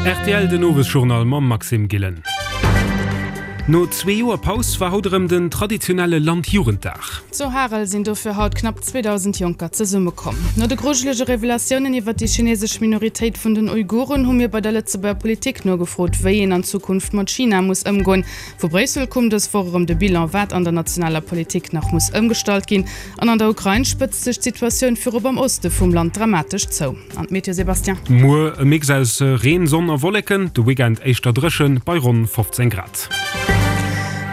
Rtl den Owesjournal mam Maxime Gillen. No zwee Joer Paus war haut erëm den traditionelle Landjugenddag. Zu Harel sinn dofir haut knapp 2.000 Jonker zesummekomm. No de grujelege Revelatiounen iwwer déi chinesesch Minoritéit vun den Uiguren hu mir bei der Lëtzebuerger Politik nogefrot, wéi een an Zukunft mat China muss ëmgoen. Vu Bréissel koum dës Woch erëm de Bilan, wat an der nationaler Politik nach muss ëmgestallt ginn. An an der Ukrain spëtzt sech d'Situatioun virop am Oste vum Land dramatesch zou. An d'Meteo, Sébastien? Muer e Mix aus Reen, Sonn a Wolleken, de Weekend éischter dréchen, bei ronn 15 Grad.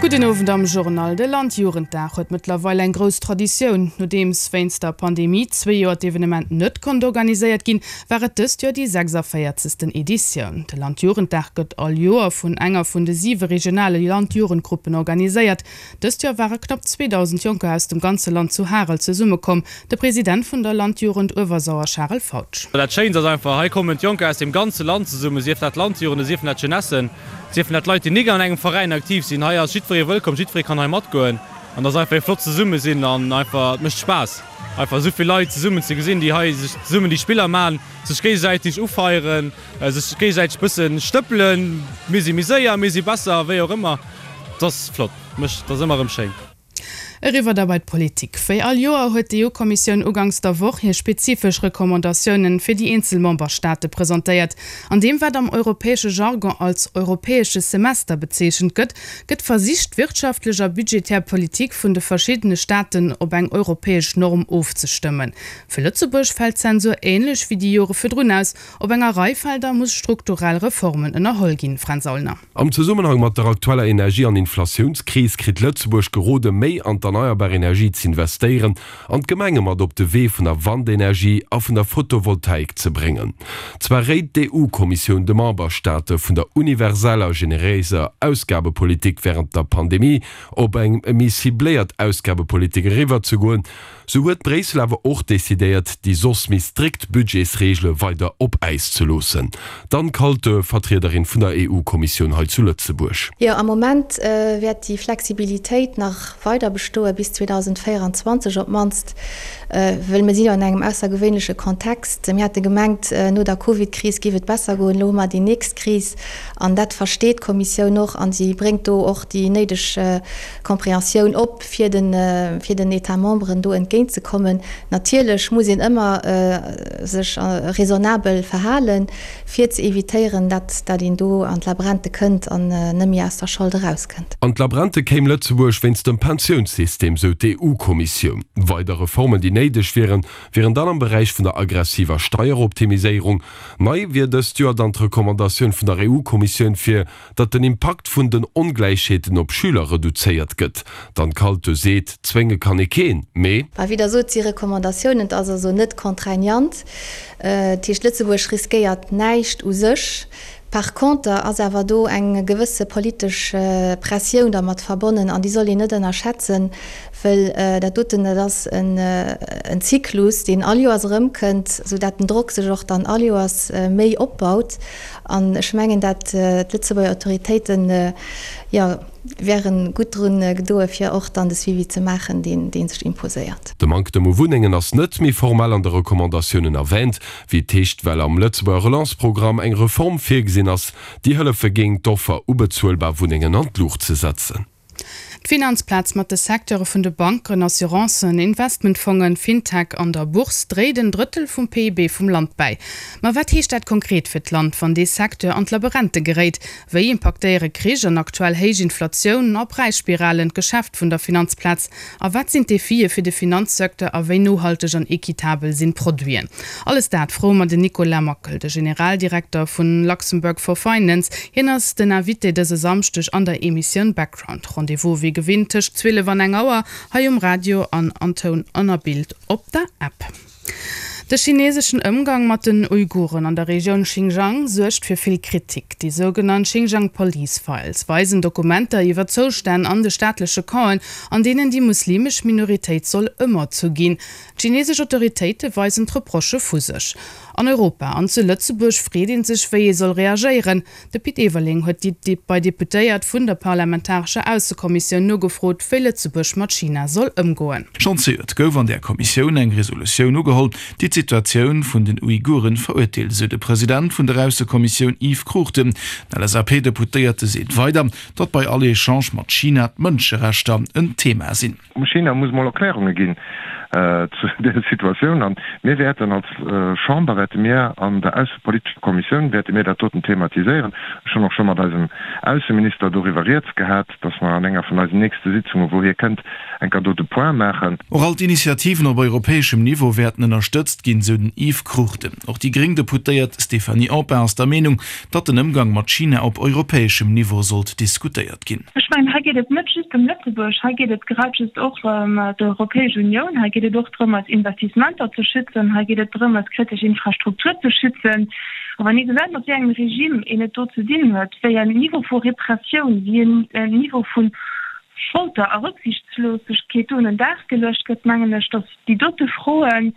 Gudden Owend am Journal. De Landjugenddag huet mëttlerweil eng grouss Traditioun. Nodeems wéinst der Pandemie zwee Joer d'Evenement net konnt organiséiert ginn, war et dëst Joer déi 46. Editioun. De Landjugenddag gëtt all Joer vun enger vun de siwe regionale Landjugendgruppen organiséiert. Dëst Joer ware knapp 2.000 Jonker aus dem ganze Land zu Harel zesummekomm. De President vun der Landjugend Uewersauer Charel Fautsch. Dat Schéinst ass einfach, hei kommen d'Jonker aus dem ganze Land zesummen, sief dat Landjugenden, siefen dat Jeunessen, siefen dat Leit, déi nik an engem Veräin aktiv sinn. Hei ass jiddweree wëllkomm, jiddweree kann hei matgoen an et ass einfach ee flott Zesummesinn an einfach, et mécht Spaass einfach esou vill Leit zesummen ze gesinn, déi hei sech zesummen déi Spiller maachen, sech géigesäiteg ufeieren. Sech géigesäiteg bëssen stëppelen, mir si méi séier, mir si besser, wéi och ëmmer, et ass flott, mécht, et ass ëmmer erëm schéin. Eriwwer da bei d'Politik. Wéi all Joer huet d'EU-Kommissioun uganks der Woch hir spezifesch Recommandatiounen fir déi eenzel Memberstaate presentéiert. An deem wat am europäesche Jargon als europäesche Semester bezeechent gëtt, gëtt versicht d'wirtschaftlech a budgetär Politik vun de verschiddene Staaten op eng europäesch Norm ofzestëmmen. Fir Lëtzebuerg fält d'Zensur änlech wéi déi Jore virdrun aus, Op enger Rei Felder muss strukturell Reformen ënnerholl ginn, Fränz Aulner. Am Zesummenhang mat der aktueller Energie an Inflatiounskris kritt Lëtzebuerg gerode méi an d'erneierbar Energie z'investéieren an d'Gemenge mat op de Wee vun der Wandenergie a vun der Photovoltaik ze bréngen. Zwar réit d'EU-Kommissioun de Memberstaate vun der universeller generéiser Ausgabepolitik wärend der Pandemie op eng méi cibléiert Ausgabepolitik eriwwer ze goen, Sou huet Bréissel awer och decidéiert, déi soss méi strikt Budgetsreegele weider op Äis ze loossen. D'Anne Kaltö, Vertriederin vun der EU-Kommissioun hei zu Lëtzebuerg. Jo, am Moment wäert déi Flexibilitéit nach weider bestoe bis 2024 op d'mannst, wëll mir si jo an engem aussergewéinleche Kontext. Mir hate gemengt, no der Covid-Kris géif et besser goen, elo hu mer déi nächst Kris an dat versteet d'Kommissioun och a si bréngt do och déi néideg Compréhensioun op. fir den, fir den États memberen do entgéint ze kommen. Natierlech muss een ëmmer sech raisonnabel verhalen, fir ze évitéieren, dat, dat een do an d'Labrente kënnt an net méi aus der Schold erauskënnt. An d'Labrente kéim Lëtzebuerg wéinst dem Pensiounssystem, sou d'EU-Kommissioun. Weider Reformen, déi néideg wieren, wieren dann am Beräich vun der aggressiver Steieroptimiséierung. Nei wier dëst Joer dann d'Recommandatioun vun der EU-Kommissioun, fir datt den Impakt vun den Ongläichheeten op Schüler reduzéiert gëtt. D'Anne Kaltö seet, zwénge kann ee keen, mee. Bah, wéi Der sot, si Recommandatiounen, et ass also net contraignant. Dat heescht, Lëtzebuerg riskéiert näischt u sech. Par conter ass awer do eng gewësse politesch Pressioun dermat verbonnen an déi soll een net ënnerschätzen, wëll dat doten, dat ass en Zyklus, deen all Joers erëmkënnt, soudatt den Drock sech och dann all Joers méi opbaut. An ech mengen, dat d'Lëtzebuerger Autoritéiten, jo, wäre gutt drun gedoe fir och dann de Suivi ze maachen, deen dee sech imposéiert. De Manktem u Wunnengen ass net méi formell an de Recommandatiounen erwähnt, wéi et heescht, well am Lëtzebuerger Relance-Programm eng Reform virgesinn ass, déi hëllefe géing, d'Offer u bezuelbar Wunnengen an d'Luucht ze setzen. D'Finanzplaz mat de Secteure vun de Banken, Assurancen, Investmentfongen, Fintech an der Bourse dréit en Drëttel vum PIB vum Land bäi. Ma wat heescht dat konkret fir d'Land, wann dee Secteur an d'Laberente geréit? Wéi impaktéiere Krich an aktuell héich Inflatioun a Präisspiralen d'Geschäft vun der Finanzplaz? A wat sinn d'Defie fir de Finanzsecteur a wéi nohalteg an equitabel sinn d'Produiten? Alles dat froe mer den Nicolas Mackel, de Generaldirekter vun Luxembourg for Finance. Hien ass den Invité dëse Samschdeg an der Emissioun Background. Rendez-vous wéi gewinnt tëscht 12 an eng Auer hei um Radio an an Toun an a Bild op der App. De chineseschen Ëmgang mat den Uiguren an der Regioun Xinjiang suergt fir vill Kritik. Déi sougenannt Xinjiang Police Files weisen Dokumenter iwwer Zoustänn an de staatleche Campen, an deenen déi muslimesch Minoritéit soll ëmerzu ginn. D'chinesesch Autoritéite weisen d'Reprochë vu sech. An Europa an zu Lëtzebuerg freet ee sech, wéi ee soll reagéieren. De Pit Everling huet déi bei Deputéiert vun der parlamentarescher Aussekommissioun nogefrot, wéi Lëtzebuerg mat China soll ëmgoen. Schonn zejoert gouf an där Kommissioun eng Resolutioun ugeholl, déi d'Situatioun. d'Situatioun vun den Uiguren verurteelt, esou de President vun der Aussekommissioun Yves Cruchten. Den LSAP-Deputéierte seet weider, datt bei all Echange mat China d'Mënscherechter en Thema sinn. China muss mol Erklärunge ginn zu där Situatioun. A mir wäerten als Chamber, wäerte mir an der aussepolitescher Kommissioun, wäerte mir dat doten thematiséieren. Ech hunn och scho mat eisem Ausseminister doriwwer rieds gehat, datt mer an enger vun eisen nächste Sitzungen, wou hie kënnt, eng Kéier do de Point maachen. Och all d'Initiativen op europäeschem Niveau wäerten ënnerstëtzt ginn, sou den Yves Cruchten. Och déi gréng Deputéiert Stéphanie Empain ass der Meenung, datt den Ëmgang mat China op europäeschem Niveau sollt diskutéiert ginn. Ech mengen, hei geet et net just ëm Lëtzebuerg, hei geet et grad just och ëm d'Europäesch Unioun, hei geet et och drëm, eis Investissementer ze schützen, hei geet et drëm, eis kritesch Infrastruktur ze schützen. A wann ee gesäit, mat wéi engem Regime een et do ze dinn huet, wéi en Niveau vu Repressioun, wéi en Niveau vu Folter a Rücksichtslosegkeet do un den Dag geluecht gëtt, mengen ech, datt déi dote Froen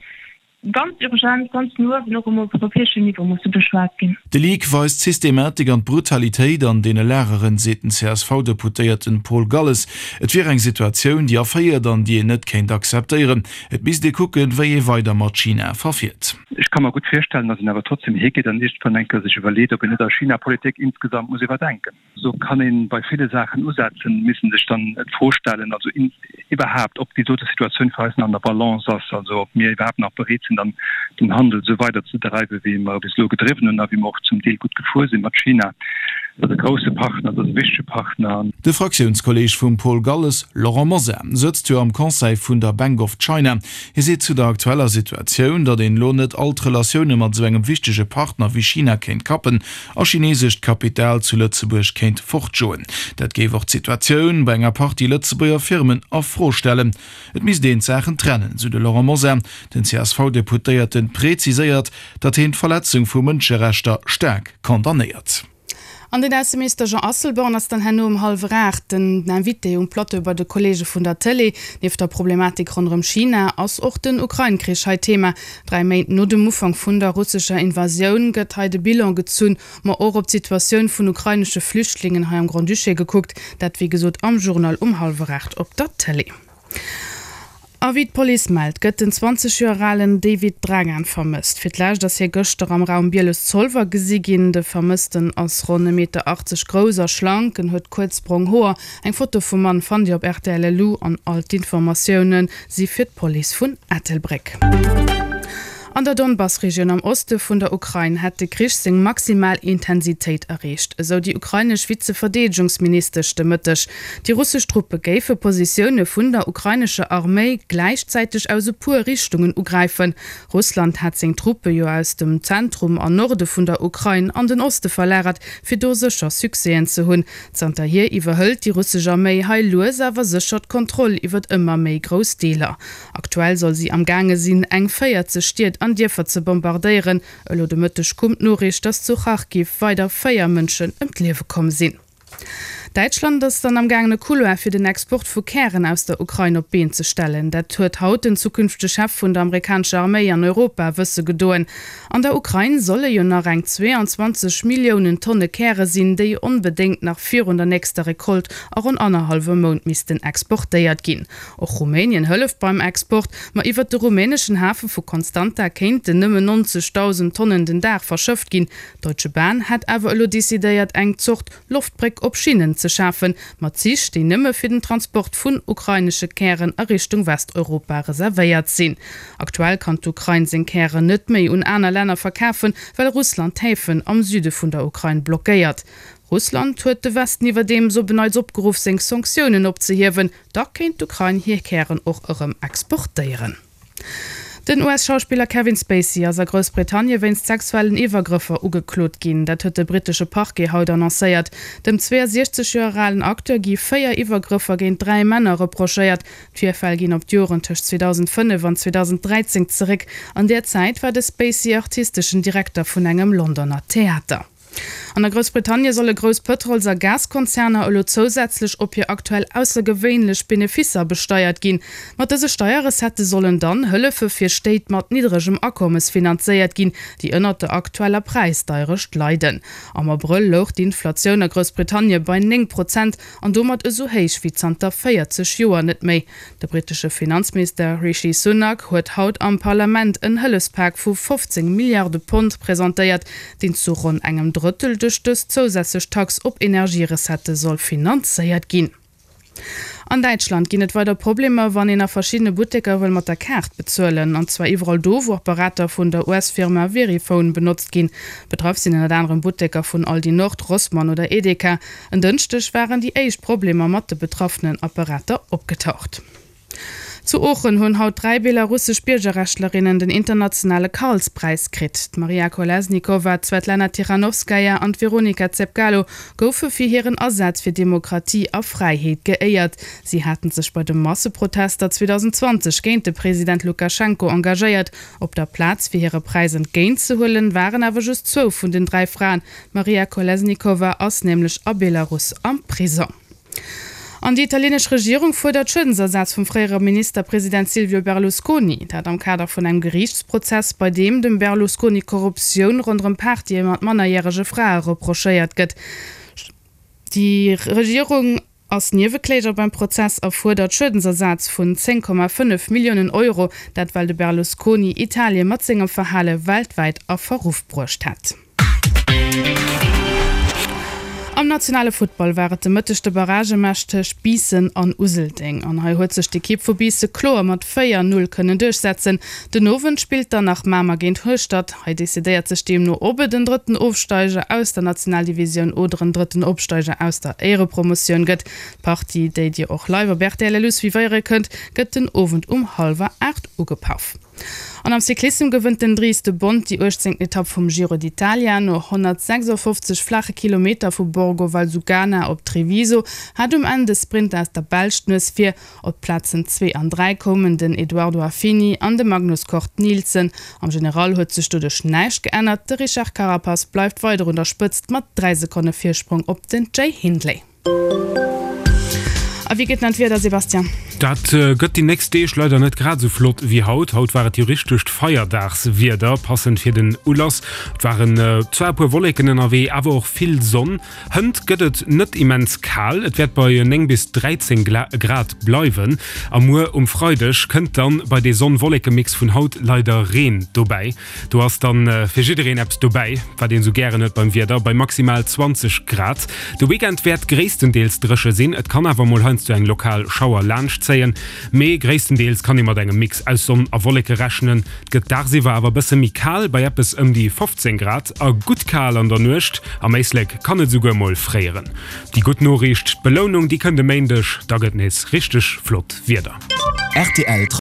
ganz urgent, ganz no uewen och um europäeschen Niveau musse beschwat ginn. De Leak weist d'Systematik an d'Brutalitéit an deene Lageren, seet den CSV-Deputéierten Paul Galles. Et wier eng Situatioun, déi erféiert an déi een net kéint akzeptéieren. Et misst ee kucken, wéi ee weider mat China verfiert. Ech ka mer gutt virstellen, datt een awer trotzdem higeet an iergendwann eng Kéier sech iwwerleet, ob een net eis China-Politik insgesamt muss iwwerdenken. Esou kann ee bei ville Saachen usetzen, misst sech dann d'Fro stellen, also iwwerhaapt, ob déi dote Situatioun fir eis nach an der Balance ass, also ob mir iwwerhaapt nach bereet sinn, dann den Handel esou weider ze dreiwen, wéi mer e bis elo gedriwwen hunn a wéi mer och zum Deel gutt gefuer sinn mat China. Dat ass e grousse Partner, dat ass e wichtege Partner. De Fraktiounskolleeg vum Paul Galles, Laurent Mosar, sëtzt jo am Conseil vun der Bank of China. Hie seet zu der aktueller Situatioun, datt een elo net all d'Relatioune mat esou engem wichtege Partner wéi China kéint kappen a chinesescht Kapital zu Lëtzebuerg kéint fortjoen. Dat géif och d'Situatioun bei enger Partie Lëtzebuerger Firmen a Fro stellen. Et misst een d'Saachen trennen, sou de Laurent Mosar. Den CSV-Deputéierte preziséiert, datt hien d'Verletzung vu Mënscherechter staark condamnéiert. An den Ausseminister Jean Asselborn ass dann herno um hallwer 8 den Invité um Plateau bei de Kolleege vun der Tëlee. Nieft der Problematik ronderëm China ass och den Ukrain-Krich hei Thema. Dräi Méint no dem Ufank vun der russescher Invasioun gëtt hei de Bilan gezunn, ma och op d'Situatioun vun ukrainesche Flüchtlingen hei am Grand-Duché gekuckt. Dat wéi gesot am Journal um hallwer 8 op der Tëlee. A wéi d'Police mellt, gëtt den 20 Joer alen David Dragan vermësst. Fir d'lescht ass hie gëschter am Raum Bieles-Zolwer gesi ginn. De Vermëssten ass ronn e Meter 80 grouss a schlank. En huet kuerz brong Hoer. Eng Foto vum Mann fannt Dir op rtl.lu an all d'Informatioune si fir d'Police vun Ettelbréck. An der Donbass-Regioun am Oste vun der Ukrain hätt de Krich seng maximal Intensitéit erreecht, esou déi ukrainesch Vize-Verdeedegungsministesch de Mëtteg. Déi russesch Truppe géife Positioune vun der ukrainescher Arméi gläichzäiteg aus e puer Richtungen ugräifen. Russland hat seng Truppe jo aus dem Zentrum an Norde vun der Ukrain an den Oste verlagert, fir do sécher Succèsen ze hunn. Zanterhier iwwerhëlt déi russesch Arméi hei lues awer sécher d'Kontroll iwwert ëmmer méi grouss Deeler. Aktuell soll si am gaange sinn, eng 40 Stied an Dierfer ze bombardéieren. Elo de Mëtteg koum d'Noriicht, datt zu Charkiw weider 4 Mënschen ëm d'Liewe komm sinn. Däitschland ass dann am gaangen e Couloir fir den Export vu Kären aus der Ukrain op d'Been ze stellen. Dat huet haut den zukünftege Chef vun der amerikanescher Arméi an Europa wësse gedoen. An der Ukrain solle jo nach eng 22 Milliounen Tonne Käre sinn, déi onbedéngt nach virun der nächster Recolte a ronn annerhallwem Mount missten exportéiert ginn. Och Rumänien hëlleft beim Export, ma iwwert de rumäneschen Hafe vu Constanta kéinten nëmmen 90.000 Tonnen den Dag verschëfft ginn. D'Deutsche Bahn hätt awer elo decidéiert, eng Zort Loftbréck op Schinnen ze schafen, mat Zich, déi nëmme fir den Transport vun ukrainesche Kären a Richtung Westeuropa reservéiert sinn. Aktuell kann d'Ukrain seng Kären net méi un aner Länner verkafen, well Russland d'Häfen am Süde vun der Ukrain blockéiert. Russland huet de Westen iwwerdeems op en Neits opgeruff, seng Sanktiounen opzehiewen. Da kéint d'Ukrain hir Kären och erëm exportéieren. Den US-Schauspiller Kevin Spacey ass a Groussbritannien wéinst sexuellen Iwwergrëffer ugeklot ginn. Dat huet de brittesche Parquet haut annoncéiert. Dem 62 Joer alen Acteur gi 4 Iwwergrëffer géint 3 Männer reprochéiert. D'Virfäll ginn op d'Joren tëscht 2005 an 2013 zeréck. An där Zäit war de Spacey artisteschen Direkter vun engem Londoner Theater. An a Groussbritannie solle grouss Pëtrols a Gaskonzerner elo zousätzlech op hir aktuell aussergewéinlech Beneficer besteiert ginn. Mat dëse Steierrecettë sollen dann Hëllefe fir Stéit mat niddregem Akommes finanzéiert ginn, déi ënnert der aktueller Präisdeierecht leiden. Am Abrëll louch d'Inflatioun a Groussbritannie bei 9 Prozent an domat esou héich wéi zanter 40 Joer net méi. De brittesche Finanzminister Rishi Sunak huet haut am Parlament en Hëllefspak vu 15 Milliarde Pond presentéiert, deen zu ronn engem Drëttel duerch dës zousätzlech Tax op Energierecettë soll finanzéiert ginn. An Däitschland ginn et weider Problemer, wann een a verschiddene Butteker wëll mat der Kaart bezuelen. An zwar iwwerall do, wou Apparater vun der US-Firma Verifone benotzt ginn. Betraff sinn ënnert anerem Butteker vun Aldi Nord, Rossmann oder Edeka. En Dënschdeg waren déi éischt Problemer mat de betraffenen Apparater opgetaucht. Zu Oochen hunn haut 3 belarussesch Biergerrechtlerinnen den internationale Karlspräis kritt. D'Maria Kolesnikova, d'Swetlana Tichanowskaja an d'Veronika Zepkalo goufe fir hiren Asaz fir Demokratie a Fräiheet geéiert. Si haten sech bei de Masseprotester 2020 géint de President Lukaschenko engagéiert. Op der Plaz fir hire Präis entgéintzehuelen, waren awer just zwou vun den 3 Fraen, D'Maria Kolesnikova ass nämlech a Belarus am Prisong. An déi italienesch Regierung fuerdert Schuedensersaz vum fréiere Ministerpresident Silvio Berlusconi. Dat am Kader vun engem Geriichtsprozess, bei deem dem Berlusconi Korruptioun ronderëm Partye mat mannerjärege Frae reprochéiert gëtt. Déi Regierung ass Niewekläger beim Prozess a fuerdert Schuedensersaz vun 10,5 Milliounen Euro, dat well de Berlusconi Italie mat sengem Verhale weltwäit a Verruff bruecht hätt. Am nationale Futtball war et de Mëtteg de Barragematch tëscht Biissen an Useldeng. An hei huet sech d'Ekipp vu Biisse kloer mat 4, 0 kënnen duerchsetzen. Den Owend spillt dann nach Mamer géint Hueschtert. Hei decidéiert sech deemno, ob et en drëtten Ofsteiger aus der Nationaldivisioun oder en drëtten Opsteiger aus der Éierepromotioun gëtt. D'Partie, déi Dir och live op rtl LU suivéiere kënnt, gëtt den Owend um hallwer 8 ugepaff. An am Cyclissem gewënnt den Dries de Bondt déi 18. Etapp vum Giro d'Italia. No 156 flaache Kilometer vu Borgo Valsugana op Treviso hat um Enn de Sprinter aus der Belsch d'Nues vir. Op d'Plazen zwee an 3 koumen den Edoardo Affini an de Magnus Cort Nielsen. Am General huet sech doduerch näischt geännert, de Richard Carapaz bleift weider un der Spëtzt mat 3 Sekonne Virsprong op den Jay Hindley. A wéi gëtt dann d'Wieder, Sébastien? Dat gëtt déi nächst Deeg leider net grad esou flott wéi haut. Haut war et jo richtegt Feierdagswieder, passend fir den Ulass. Et waren zwar e puer Wolleken ënnerwee, awer och vill Sonn. Hënt gëtt et net immens kal, et wäert bei 9 bis 13 Grad bleiwen. A muer um Freideg kënnt dann bei dee Sonn-Wolleke-Mix vun haut leider Reen dobäi. Do ass dann fir jiddereen eppes dobäi, wat een sou gären huet beim Wieder, bei maximal 20 Grad. De Weekend wäert gréisstendeels dréche sinn, et kann awer mol heiansdo eng lokal Schauer laanschtzéien, mee gréisstendeels kann ee mat engem Mix aus Sonn a Wolleke rechnen. Et gëtt dagsiwwer awer bësse méi kal, bei eppes ëm déi 15 Grad a gutt kal an der Nuecht. Am Éislek kann et esouguer mol fréieren. Déi gutt Noriicht, D'Belounung, déi kënnt e Méindeg, da gëtt nees richteg flott Wieder. Rtl.